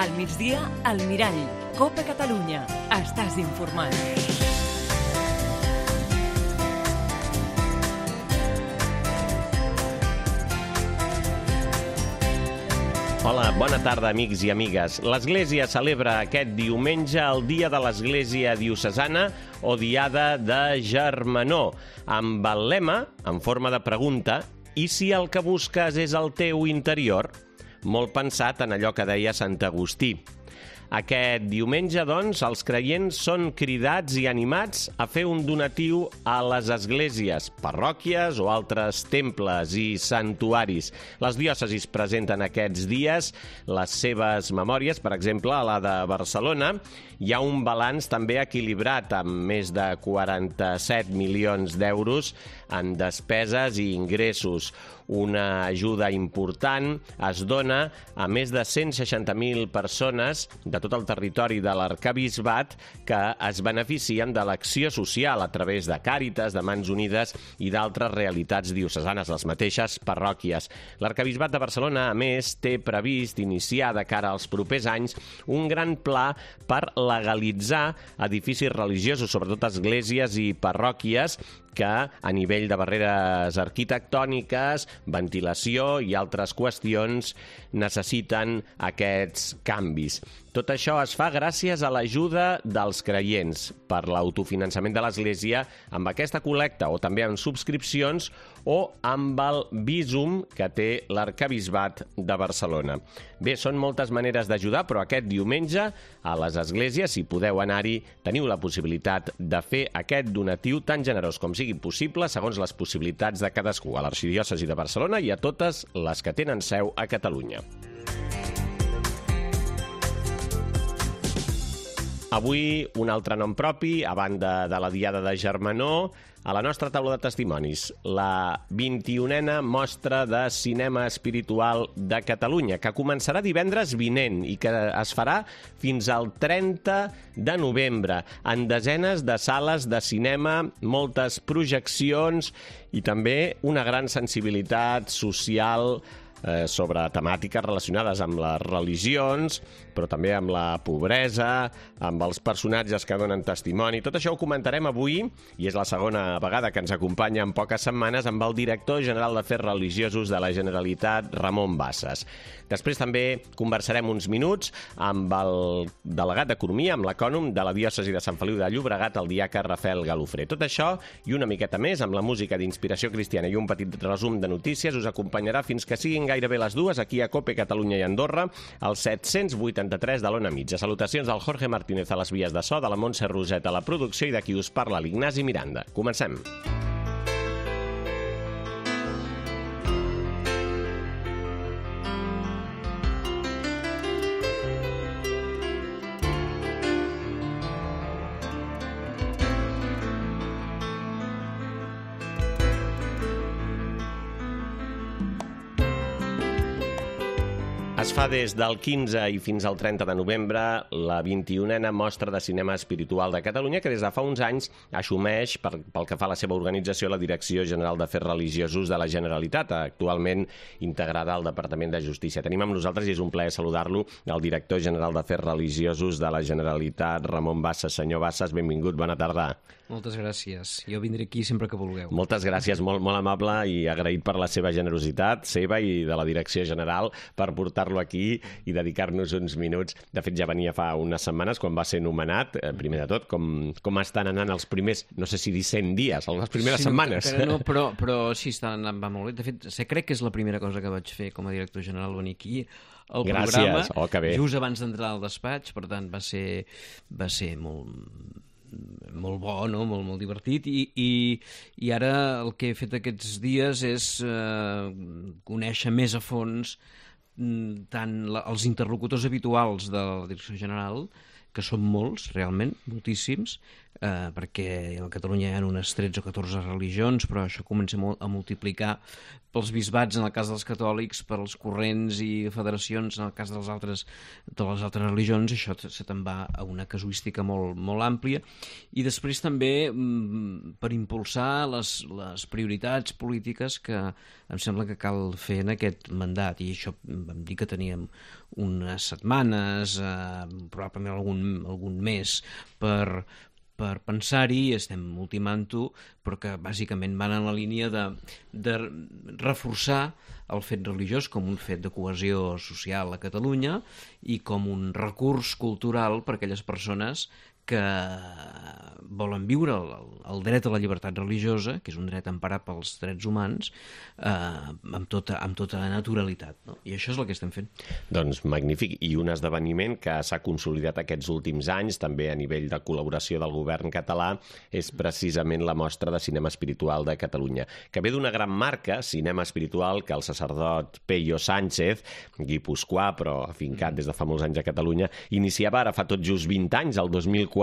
Al migdia, al Mirall. Copa Catalunya. Estàs informat. Hola, bona tarda, amics i amigues. L'Església celebra aquest diumenge el Dia de l'Església Diocesana o Diada de Germanor, amb el lema, en forma de pregunta, i si el que busques és el teu interior? Molt pensat en allò que deia Sant Agustí. Aquest diumenge, doncs, els creients són cridats i animats a fer un donatiu a les esglésies, parròquies o altres temples i santuaris. Les diòcesis presenten aquests dies les seves memòries, per exemple, a la de Barcelona. Hi ha un balanç també equilibrat, amb més de 47 milions d'euros en despeses i ingressos. Una ajuda important es dona a més de 160.000 persones de tot el territori de l'Arquebisbat que es beneficien de l'acció social a través de Càritas, de Mans Unides i d'altres realitats diocesanes, les mateixes parròquies. L'Arquebisbat de Barcelona, a més, té previst iniciar de cara als propers anys un gran pla per legalitzar edificis religiosos, sobretot esglésies i parròquies, que a nivell de barreres arquitectòniques, ventilació i altres qüestions necessiten aquests canvis. Tot això es fa gràcies a l'ajuda dels creients per l'autofinançament de l'Església amb aquesta col·lecta o també amb subscripcions o amb el Bizum que té l'Arquebisbat de Barcelona. Bé, són moltes maneres d'ajudar, però aquest diumenge a les esglésies, si podeu anar-hi, teniu la possibilitat de fer aquest donatiu tan generós com sigui possible segons les possibilitats de cadascú, a l'Arxidiòcesi de Barcelona i a totes les que tenen seu a Catalunya. Avui, un altre nom propi, a banda de la Diada de Germanor, a la nostra taula de testimonis, la 21a Mostra de Cinema Espiritual de Catalunya, que començarà divendres vinent i que es farà fins al 30 de novembre, en desenes de sales de cinema, moltes projeccions i també una gran sensibilitat social sobre temàtiques relacionades amb les religions, però també amb la pobresa, amb els personatges que donen testimoni. Tot això ho comentarem avui, i és la segona vegada que ens acompanya en poques setmanes, amb el director general d'Afers Religiosos de la Generalitat, Ramon Bassas. Després també conversarem uns minuts amb el delegat d'Economia, amb l'ecònom de la diòcesi de Sant Feliu de Llobregat, el diaca Rafael Galofré. Tot això i una miqueta més, amb la música d'inspiració cristiana i un petit resum de notícies, us acompanyarà fins que siguin gairebé les dues, aquí a COPE Catalunya i Andorra, al 783 de l'Ona Mitja. Salutacions del Jorge Martínez a les vies de so, de la Montse Roset a la producció i de qui us parla, l'Ignasi Miranda. Comencem. Es fa des del 15 i fins al 30 de novembre la 21a Mostra de Cinema Espiritual de Catalunya, que des de fa uns anys assumeix, pel que fa a la seva organització, la Direcció General d'Afers Religiosos de la Generalitat, actualment integrada al Departament de Justícia. Tenim amb nosaltres, i és un plaer saludar-lo, el director general d'Afers Religiosos de la Generalitat, Ramon Bassas. Senyor Bassas, benvingut, bona tarda. Moltes gràcies. Jo vindré aquí sempre que vulgueu. Moltes gràcies, molt amable i agraït per la seva generositat, seva i de la Direcció General, per portar-lo aquí i dedicar-nos uns minuts. De fet, ja venia fa unes setmanes quan va ser nomenat. Primer de tot, com estan anant els primers, no sé si dir 100 dies, les primeres setmanes. No, però sí, va molt bé. De fet, crec que és la primera cosa que vaig fer com a director general, venir aquí al programa, que bé. Just abans d'entrar al despatx, per tant va ser molt bo, no? molt divertit, i ara el que he fet aquests dies és conèixer més a fons tant els interlocutors habituals de la Direcció General que són molts, realment, moltíssims, perquè a Catalunya hi ha unes 13 o 14 religions, però això comença a multiplicar pels bisbats en el cas dels catòlics, per als corrents i federacions en el cas de les altres religions, això se te'n va a una casuística molt àmplia. I després també per impulsar les prioritats polítiques que em sembla que cal fer en aquest mandat, i això vam dir que teníem unes setmanes, probablement algun mes per pensar-hi, estem ultimant-ho, però que bàsicament van en la línia de reforçar el fet religiós com un fet de cohesió social a Catalunya i com un recurs cultural per a aquelles persones que volen viure el dret a la llibertat religiosa, que és un dret emparat pels drets humans, amb tota naturalitat, no? I això és el que estem fent. Doncs magnífic, i un esdeveniment que s'ha consolidat aquests últims anys, també a nivell de col·laboració del govern català, és precisament la Mostra de Cinema Espiritual de Catalunya, que ve d'una gran marca, cinema espiritual, que el sacerdot Peyo Sánchez, guipuscoà, però afincat des de fa molts anys a Catalunya, iniciava ara fa tot just 20 anys, el 2004,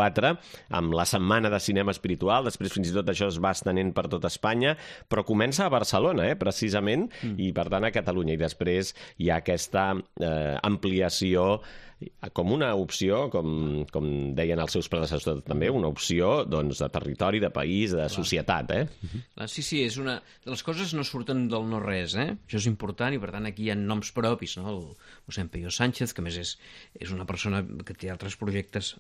amb la Setmana de Cinema Espiritual. Després fins i tot això es va estenent per tot Espanya, però comença a Barcelona, precisament, i per tant a Catalunya. I després hi ha aquesta ampliació com una opció, com deien els seus predecessors també, una opció doncs, de territori, de país, de societat. Sí, és una... Les coses no surten del no-res, Això és important, i per tant aquí hi ha noms propis, no? El mossèn Peyo Sánchez, que a més és una persona que té altres projectes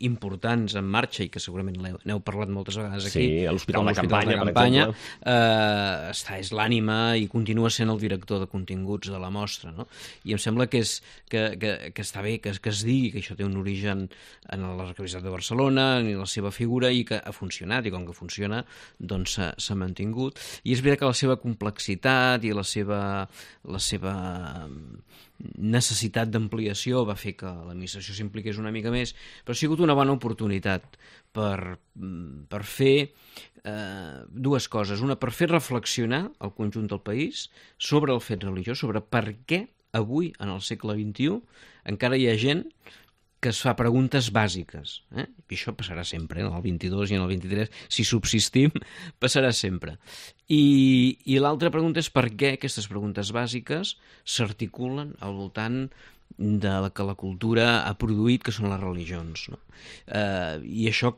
importants en marxa i que segurament n'heu parlat moltes vegades aquí. Sí, a l'Hospital de Campanya, per exemple. És l'ànima i continua sent el director de continguts de la mostra, no? I em sembla que està bé que es digui que això té un origen en l'Arquebisbat de Barcelona, en la seva figura, i que ha funcionat, i com que funciona, doncs s'ha mantingut. I és veritat que la seva complexitat i la seva necessitat d'ampliació va fer que l'administració s'impliqués una mica més, però ha sigut una bona oportunitat per fer dues coses. Una, per fer reflexionar el conjunt del país sobre el fet religiós, sobre per què avui, en el segle XXI, encara hi ha gent que es fa preguntes bàsiques. I això passarà sempre, en el 22 i en el 23, si subsistim, passarà sempre. I l'altra pregunta és per què aquestes preguntes bàsiques s'articulen al voltant de la que la cultura ha produït, que són les religions, no? I això,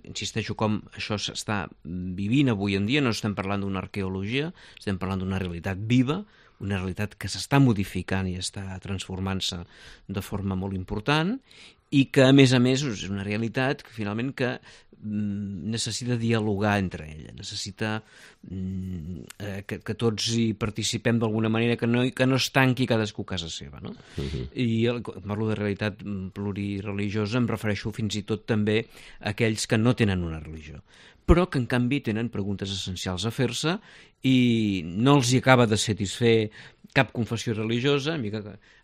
insisteixo, com això s'està vivint avui en dia, no estem parlant d'una arqueologia, estem parlant d'una realitat viva, una realitat que s'està modificant i està transformant-se de forma molt important, i que, a més, és una realitat que, finalment, que necessita dialogar entre ella, necessita que tots hi participem d'alguna manera, que no es tanqui cadascú a casa seva, no? I quan parlo de realitat plurireligiosa em refereixo fins i tot també a aquells que no tenen una religió, però que en canvi tenen preguntes essencials a fer-se i no els hi acaba de satisfer cap confessió religiosa,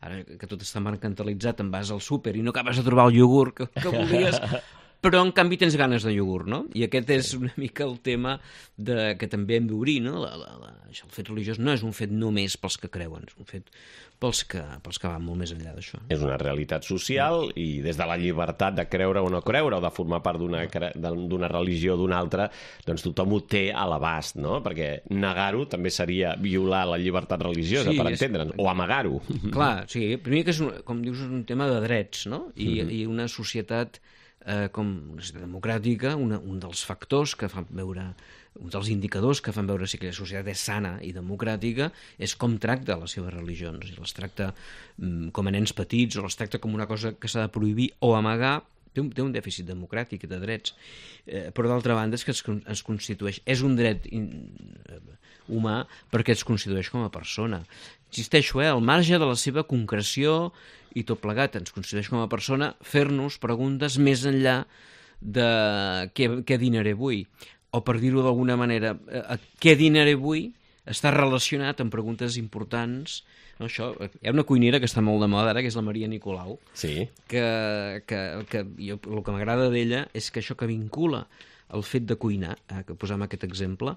ara que tot està mercantilitzat, en vas al súper i no acabes de trobar el iogurt que volies, però en canvi tens ganes de iogurt, no? I aquest és una mica el tema que també hem d'obrir, no? El fet religiós no és un fet només pels que creuen, és un fet pels que van molt més enllà d'això. És una realitat social, i des de la llibertat de creure o no creure, o de formar part d'una religió o d'una altra, doncs tothom ho té a l'abast, no? Perquè negar-ho també seria violar la llibertat religiosa, per entendre'ns, o amagar-ho. Clar, sí, primer que és, com dius, un tema de drets, no? I una societat com una societat democràtica, un dels factors que fan veure, un dels indicadors que fan veure si aquella societat és sana i democràtica és com tracta les seves religions. Si les tracta com a nens petits o les tracta com una cosa que s'ha de prohibir o amagar, té un dèficit democràtic de drets. Però d'altra banda és que es constitueix, és un dret humà perquè es constitueix com a persona. Insisteixo, al marge de la seva concreció i tot plegat, ens constitueix com a persona fer-nos preguntes més enllà de què dinaré avui, o per dir-ho d'alguna manera, què dinaré avui està relacionat amb preguntes importants. No, això, hi ha una cuinera que està molt de moda ara, que és la Maria Nicolau, que el que m'agrada d'ella és que això que vincula el fet de cuinar, que posem aquest exemple,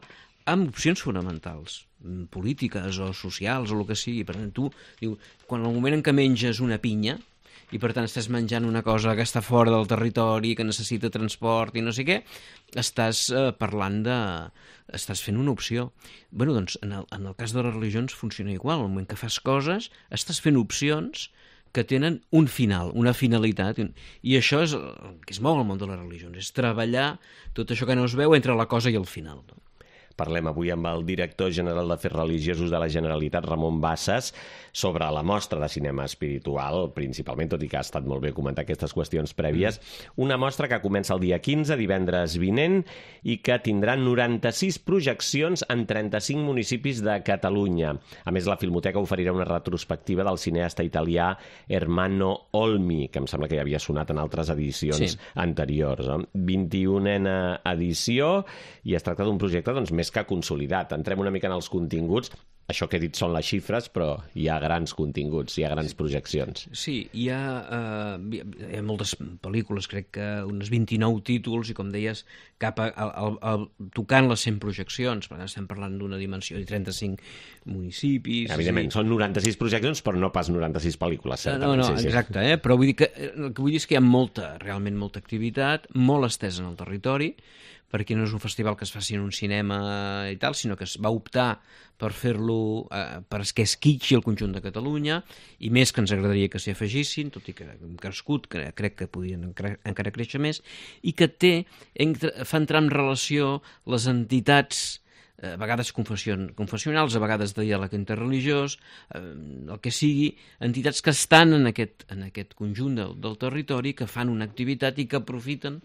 amb opcions fonamentals, polítiques o socials o el que sigui. Per tant, tu, quan en el moment en què menges una pinya i per tant estàs menjant una cosa que està fora del territori, que necessita transport i no sé què, estàs parlant de... estàs fent una opció. Bueno, doncs, en el cas de les religions funciona igual. Al moment que fas coses, estàs fent opcions que tenen un final, una finalitat. I això és el que es mou al món de les religions, és treballar tot això que no es veu entre la cosa i el final. Parlem avui amb el director general d'Afers Religiosos de la Generalitat, Ramon Bassas, sobre la mostra de cinema espiritual, principalment, tot i que ha estat molt bé comentar aquestes qüestions prèvies. Una mostra que comença el dia 15, divendres vinent, i que tindrà 96 projeccions en 35 municipis de Catalunya. A més, la Filmoteca oferirà una retrospectiva del cineasta italià Ermanno Olmi, que em sembla que ja havia sonat en altres edicions anteriors. 21a edició, i es tracta d'un projecte més que consolidat. Entrem una mica en els continguts. Això que he dit són les xifres, però hi ha grans continguts, hi ha grans projeccions. Sí, hi ha moltes pel·lícules, crec que unes 29 títols, i com deies, tocant les 100 projeccions. Per tant, estem parlant d'una dimensió de 35 municipis... Evidentment, són 96 projeccions, però no pas 96 pel·lícules, certament. No, exacte, però vull dir que el que vull dir és que hi ha realment molta activitat, molt estesa en el territori, perquè no és un festival que es faci en un cinema i tal, sinó que es va optar per fer-lo, perquè es quitxi el conjunt de Catalunya, i més que ens agradaria que s'hi afegissin, tot i que hem crescut, crec que podien encara créixer més, i que fa entrar en relació les entitats, a vegades confessionals, a vegades de diàleg interreligiós, el que sigui, entitats que estan en aquest conjunt del territori, que fan una activitat i que aprofiten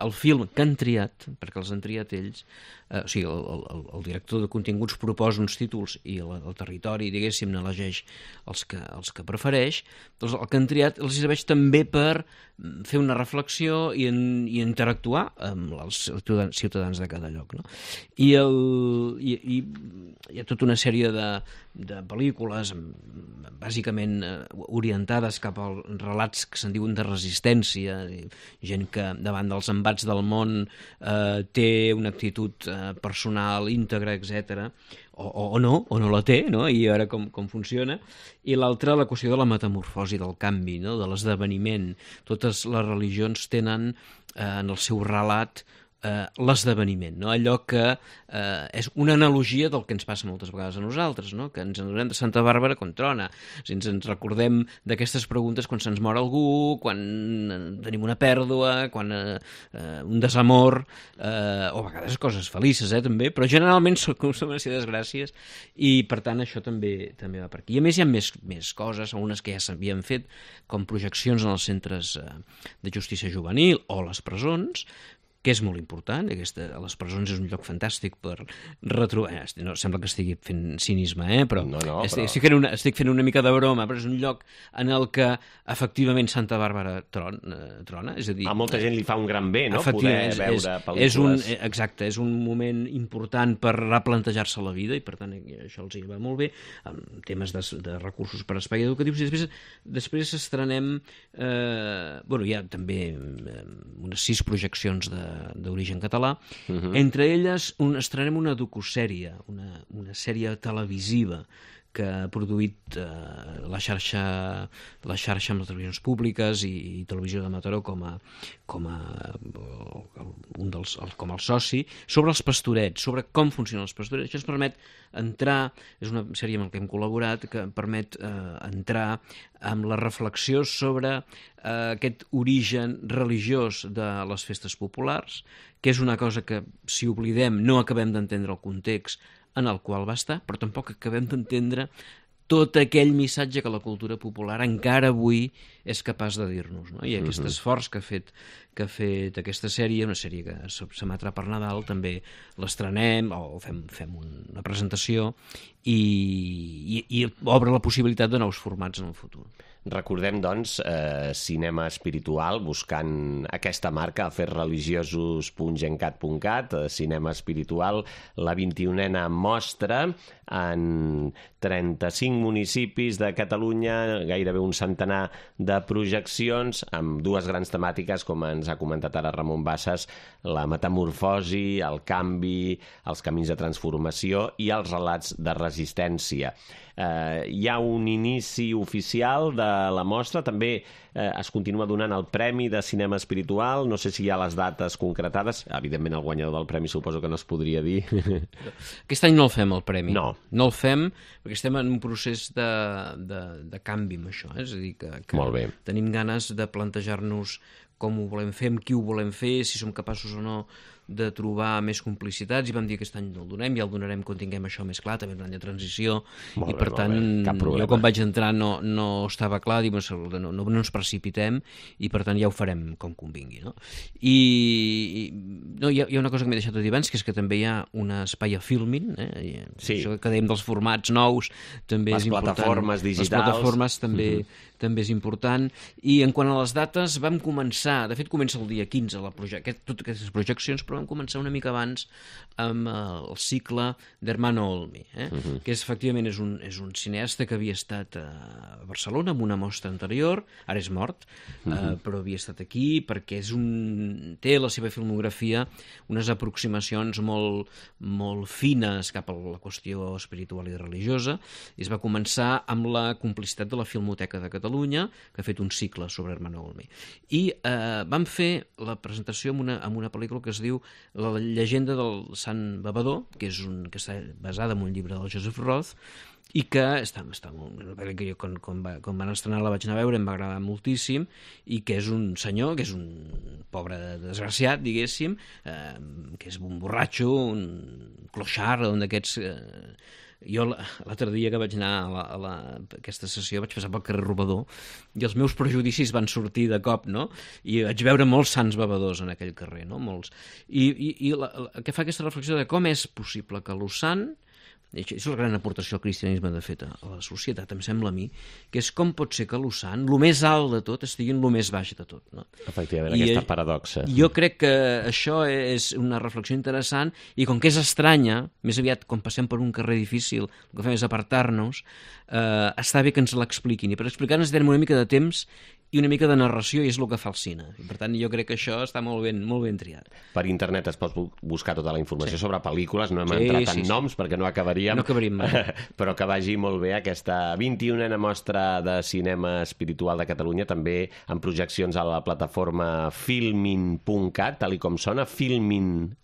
el film que han triat, perquè els han triat ells, o sigui, el director de continguts proposa uns títols i el territori, diguéssim, n'elegeix els que prefereix, doncs el que han triat els serveix també per fer una reflexió i interactuar amb els ciutadans de cada lloc, no? I hi ha tota una sèrie de pel·lícules bàsicament orientades cap als relats que se'n diuen de resistència, gent que davant dels embats del món té una actitud personal, íntegra, etc. O no la té, no? I ara com funciona. I l'altra, la qüestió de la metamorfosi, del canvi, no? De l'esdeveniment. Totes les religions tenen en el seu relat l'esdeveniment, no? Allò que és una analogia del que ens passa moltes vegades a nosaltres, no? Que ens adonem de Santa Bàrbara quan trona, ens recordem d'aquestes preguntes quan se'ns mor algú, quan tenim una pèrdua, quan un desamor, o a vegades coses felices, també, però generalment són una sèrie de desgràcies, i per tant això també va per aquí. I a més hi ha més coses, algunes que ja s'havien fet, com projeccions en els centres de justícia juvenil o les presons, que és molt important. Les presons és un lloc fantàstic per retrobar... No, sembla que estigui fent cinisme, però estic fent una mica de broma, però és un lloc en el que efectivament Santa Bàrbara trona, és a dir... A molta gent li fa un gran bé, no?, poder veure pel·lícules. Exacte, és un moment important per replantejar-se la vida, i per tant això els hi va molt bé, amb temes de recursos per a espai educatius, i després estrenem... hi ha també unes 6 projeccions d'origen català. Entre elles estrenem una docusèrie, una sèrie televisiva que ha produït la xarxa amb les televisions públiques i Televisió de Mataró com el soci, sobre els pastorets, sobre com funcionen els pastorets. Això ens permet entrar, és una sèrie amb la que hem col·laborat, que permet entrar amb la reflexió sobre aquest origen religiós de les festes populars, que és una cosa que, si oblidem, no acabem d'entendre el context en el qual va estar, però tampoc acabem d'entendre tot aquell missatge que la cultura popular encara avui és capaç de dir-nos, no? I aquest esforç que ha fet aquesta sèrie, una sèrie que s'emetrà per Nadal, també l'estrenem o fem una presentació i obre la possibilitat de nous formats en el futur. Recordem, doncs, cinema espiritual, buscant aquesta marca, afersreligiosos.gencat.cat, cinema espiritual, la 21a mostra en 35 municipis de Catalunya, gairebé un centenar de projeccions, amb 2 grans temàtiques, com ens ha comentat ara Ramon Bassas, la metamorfosi, el canvi, els camins de transformació i els relats de resistència. resistència. Hi ha un inici oficial de la mostra, també es continua donant el Premi de Cinema Espiritual, no sé si hi ha les dates concretades, evidentment el guanyador del premi suposo que no es podria dir. Aquest any no el fem, el premi. No. No el fem perquè estem en un procés de canvi amb això, És a dir, que Molt bé. tenim ganes de plantejar-nos com ho volem fer, amb qui ho volem fer, si som capaços o no de trobar més complicitats, i vam dir que aquest any no el donem, ja el donarem quan tinguem això més clar, també un any de transició, Molt i bé, per tant, jo quan vaig entrar no estava clar, dic, no ens precipitem, i per tant ja ho farem com convingui, no? I no, hi ha una cosa que m'he deixat de dir abans, que és que també hi ha un espai a Filmin, Sí. Això que dèiem dels formats nous, també és important. Les plataformes digitals. Les plataformes també és important, i en quant a les dates vam començar, de fet comença el dia 15 totes aquestes projeccions, però vam començar una mica abans amb el cicle d'Hermano Olmi, que efectivament és un cineasta que havia estat a Barcelona amb una mostra anterior, ara és mort, però havia estat aquí perquè té la seva filmografia unes aproximacions molt fines cap a la qüestió espiritual i religiosa, i es va començar amb la complicitat de la Filmoteca de Catalunya, que ha fet un cicle sobre Hermano Olmi. I vam fer la presentació amb una pel·lícula que es diu La llegenda del Sant Bebedor, que està basada en un llibre del Joseph Roth, i que està molt... Que jo, quan van estrenar la vaig anar a veure, em va agradar moltíssim, i que és un senyor, que és un pobre desgraciat, diguéssim, que és un borratxo, un clochard, un d'aquests... Jo l'altre dia que vaig anar a aquesta sessió vaig passar pel carrer Robador i els meus prejudicis van sortir de cop, no? I vaig veure molts sants bevedors en aquell carrer, no? Molts. I que fa aquesta reflexió de com és possible que lo sant, i això és la gran aportació al cristianisme de fet a la societat, em sembla a mi, que és com pot ser que lo sant, lo més alt de tot, estigui en lo més baix de tot, no? Efectivament, aquesta paradoxa. Jo crec que això és una reflexió interessant, i com que és estranya, més aviat quan passem per un carrer difícil, el que fem és apartar-nos, està bé que ens l'expliquin, i per explicar-nos tenen una mica de temps i una mica de narració, i és el que fa el cine. I per tant, jo crec que això està molt ben triat. Per internet es pot buscar tota la informació sobre pel·lícules, no hem entrat en noms perquè no acabaríem. No acabaríem mai. Però que vagi molt bé aquesta 21a mostra de cinema espiritual de Catalunya, també amb projeccions a la plataforma filmin.cat, tal com sona, filmin.cat.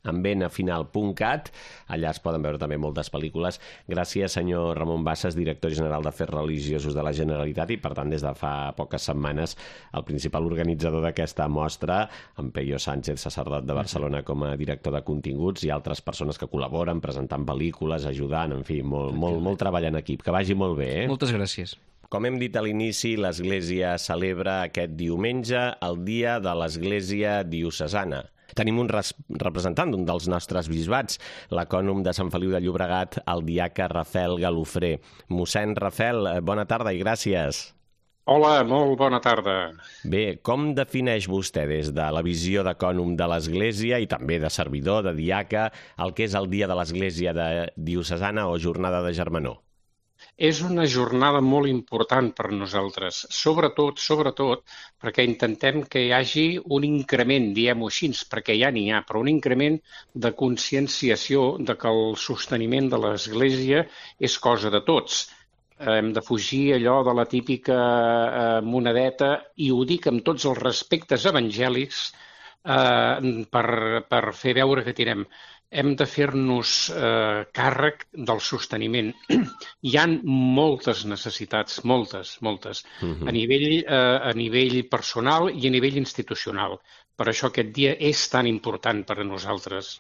Allà es poden veure també moltes pel·lícules. Gràcies, senyor Ramon Bassas, director general d'Afers Religiosos de la Generalitat, i per tant, des de fa poques setmanes, el principal organitzador d'aquesta mostra, en Peyo Sánchez, sacerdot de Barcelona, com a director de continguts, i altres persones que col·laboren presentant pel·lícules, ajudant, en fi, molt treball en equip. Que vagi molt bé, Moltes gràcies. Com hem dit a l'inici, l'Església celebra aquest diumenge el Dia de l'Església Diocesana. Tenim un representant d'un dels nostres bisbats, l'acònom de Sant Feliu de Llobregat, el diaca Rafel Galofré. Mossèn Rafel, bona tarda i gràcies. Hola, molt bona tarda. Bé, com defineix vostè des de la visió d'acònom de l'Església i també de servidor, de diaca, el que és el Dia de l'Església Diocesana o Jornada de Germanor? És una jornada molt important per nosaltres, sobretot perquè intentem que hi hagi un increment, diguem-ho així, perquè ja n'hi ha, però un increment de conscienciació de que el sosteniment de l'Església és cosa de tots. Hem de fugir allò de la típica monedeta, i ho dic amb tots els respectes evangèlics, per fer veure que tirem. Hem de fer-nos càrrec del sosteniment. Hi ha moltes necessitats, moltes, a nivell personal i a nivell institucional. Per això aquest dia és tan important per a nosaltres.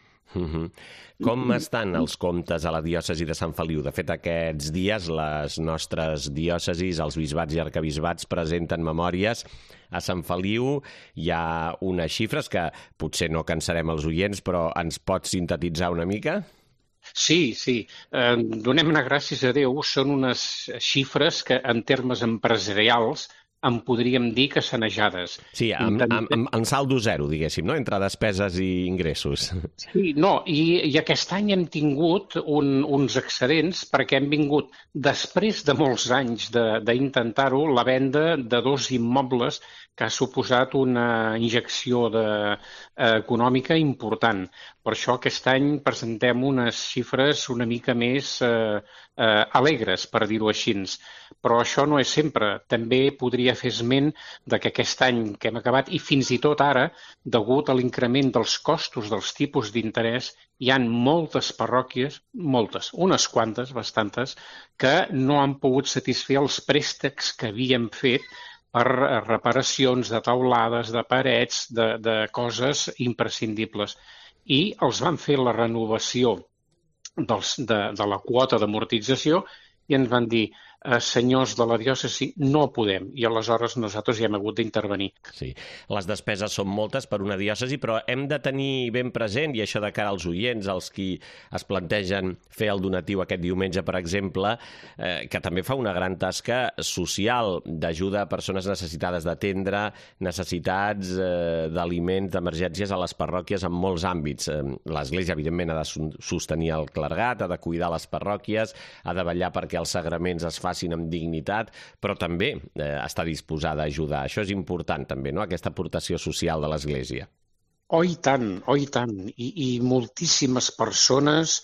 Com estan els comptes a la diòcesi de Sant Feliu? De fet, aquests dies les nostres diòcesis, els bisbats i arquebisbats, presenten memòries. A Sant Feliu hi ha unes xifres que potser no cansarem els oients, però ens pots sintetitzar una mica? Sí. Donem-ne gràcies a Déu. Són unes xifres que, en termes empresarials, en podríem dir que sanejades. Sí, en saldo zero, diguéssim, no? Entre despeses i ingressos. Sí, no, i aquest any hem tingut uns excedents perquè hem vingut, després de molts anys d'intentar-ho, la venda de 2 immobles que ha suposat una injecció econòmica important. Per això aquest any presentem unes xifres una mica més alegres, per dir-ho així. Però això no és sempre. També podria fer esment que aquest any que hem acabat, i fins i tot ara, degut a l'increment dels costos dels tipus d'interès, hi ha moltes parròquies, unes quantes, bastantes, que no han pogut satisfer els préstecs que havíem fet per reparacions de teulades, de parets, de coses imprescindibles. I els van fer la renovació de la quota d'amortització i ens van dir, senyors de la diòcesi, no podem. I aleshores nosaltres hi hem hagut d'intervenir. Sí, les despeses són moltes per una diòcesi, però hem de tenir ben present, i això de cara als oients, als qui es plantegen fer el donatiu aquest diumenge, per exemple, que també fa una gran tasca social d'ajuda a persones necessitades d'atendre, necessitats d'aliments, d'emergències a les parròquies en molts àmbits. L'Església, evidentment, ha de sostenir el clergat, ha de cuidar les parròquies, ha de vetllar perquè els sagraments es facin amb dignitat, però també està disposada a ajudar. Això és important també, no?, aquesta aportació social de l'Església. Oh, i tant, oh, i tant. I moltíssimes persones,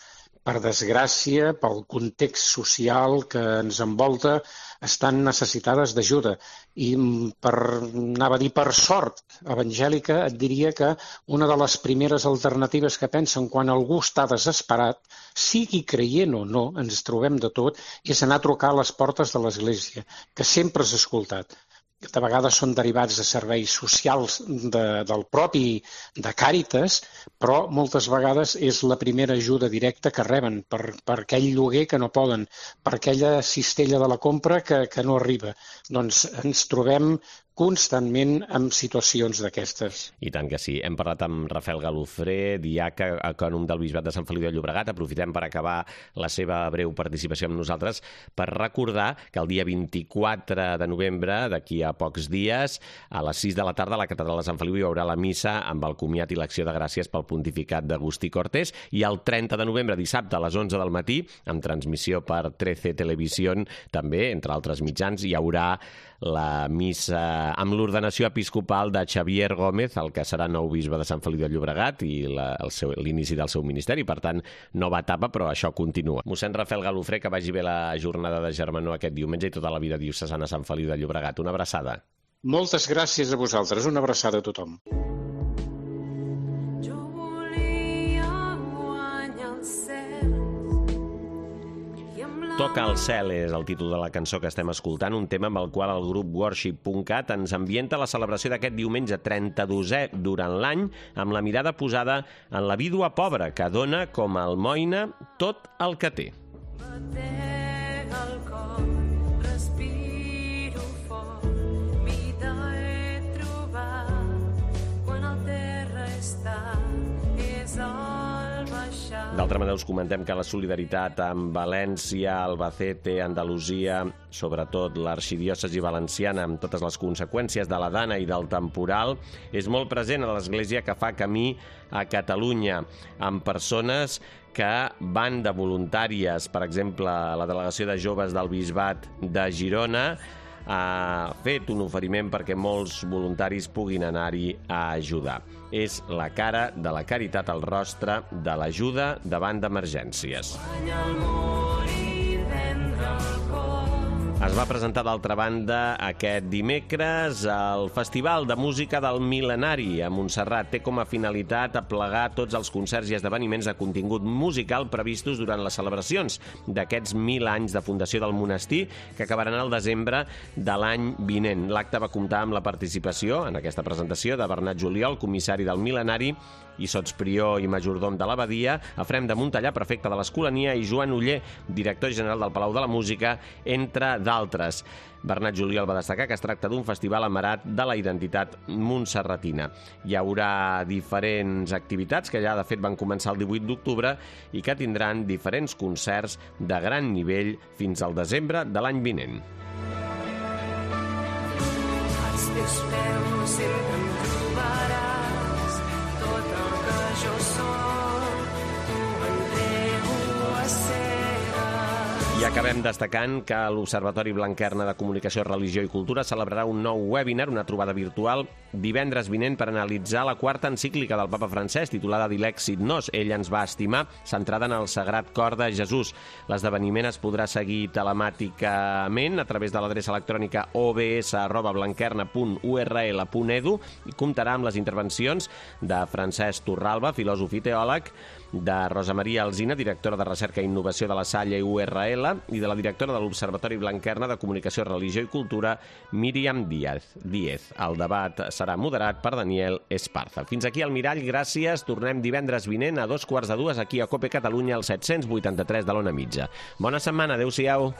per desgràcia, pel context social que ens envolta, estan necessitades d'ajuda. I anava a dir per sort evangèlica, et diria que una de les primeres alternatives que pensen quan algú està desesperat, sigui creient o no, ens trobem de tot, és anar a trucar a les portes de l'Església, que sempre és escoltat. De vegades són derivats de serveis socials del propi de Càritas, però moltes vegades és la primera ajuda directa que reben per aquell lloguer que no poden, per aquella cistella de la compra que no arriba. Doncs ens trobem constantment en situacions d'aquestes. I tant que sí. Hem parlat amb Rafael Galofré, diaca, ecònom del Bisbat de Sant Feliu de Llobregat. Aprofitem per acabar la seva breu participació amb nosaltres per recordar que el dia 24 de novembre, d'aquí a pocs dies, a les 6 de la tarda a la catedral de Sant Feliu hi haurà la missa amb el comiat i l'acció de gràcies pel pontificat d'Agustí Cortés, i el 30 de novembre, dissabte, a les 11 del matí, amb transmissió per 13 Televisión, també, entre altres mitjans, hi haurà la missa amb l'ordenació episcopal de Xavier Gómez, el que serà nou bisbe de Sant Feliu de Llobregat, i l'inici del seu ministeri. Per tant, nova etapa, però això continua. Mossèn Rafael Galofré, que vagi bé la jornada de Germanor aquest diumenge i tota la vida diocesana a Sant Feliu de Llobregat. Una abraçada. Moltes gràcies a vosaltres. Una abraçada a tothom. Toca el cel és el títol de la cançó que estem escoltant, un tema amb el qual el grup Worship.cat ens ambienta la celebració d'aquest diumenge 32è durant l'any, amb la mirada posada en la vídua pobra, que dona com a almoina tot el que té. D'altra manera, us comentem que la solidaritat amb València, Albacete, Andalusia, sobretot l'arxidiòcesi valenciana, amb totes les conseqüències de la dana i del temporal, és molt present a l'Església que fa camí a Catalunya, amb persones que van de voluntàries. Per exemple, la delegació de joves del Bisbat de Girona ha fet un oferiment perquè molts voluntaris puguin anar-hi a ajudar. És la cara de la caritat, el rostre de l'ajuda davant d'emergències. Es va presentar, d'altra banda, aquest dimecres el Festival de Música del Mil·lenari a Montserrat. Té com a finalitat aplegar tots els concerts i esdeveniments de contingut musical previstos durant les celebracions d'aquests 1000 anys de fundació del monestir, que acabaran al desembre de l'any vinent. L'acte va comptar amb la participació, en aquesta presentació, de Bernat Juliol, comissari del Mil·lenari, i sotsprior i majordom de l'abadia, Efrem de Montellà, prefecte de l'Escolania, i Joan Oller, director general del Palau de la Música, entre d'altres. Bernat Juliol va destacar que es tracta d'un festival amarat de la identitat montserratina. Hi haurà diferents activitats que ja, de fet, van començar el 18 d'octubre i que tindran diferents concerts de gran nivell fins al desembre de l'any vinent. teus peus sempre em trobaràs. Tot el que jo soc, t'ho entrego a cegues. I acabem destacant que l'Observatori Blanquerna de Comunicació, Religió i Cultura celebrarà un nou webinar, una trobada virtual, divendres vinent per analitzar la quarta encíclica del papa Francesc, titulada Dilexit Nos, ell ens va estimar, centrada en el Sagrat Cor de Jesús. L'esdeveniment es podrà seguir telemàticament a través de l'adreça electrònica obs@blanquerna.url.edu i comptarà amb les intervencions de Francesc Torralba, filòsof i teòleg, de Rosa Maria Alsina, directora de Recerca i Innovació de la Salle URL, i de la directora de l'Observatori Blanquerna de Comunicació, Religió i Cultura, Míriam Díez. El debat serà moderat per Daniel Esparza. Fins aquí el Mirall, gràcies. Tornem divendres vinent a 2:15 aquí a COPE Catalunya, al 783 de l'Ona Mitja. Bona setmana, adeu-siau.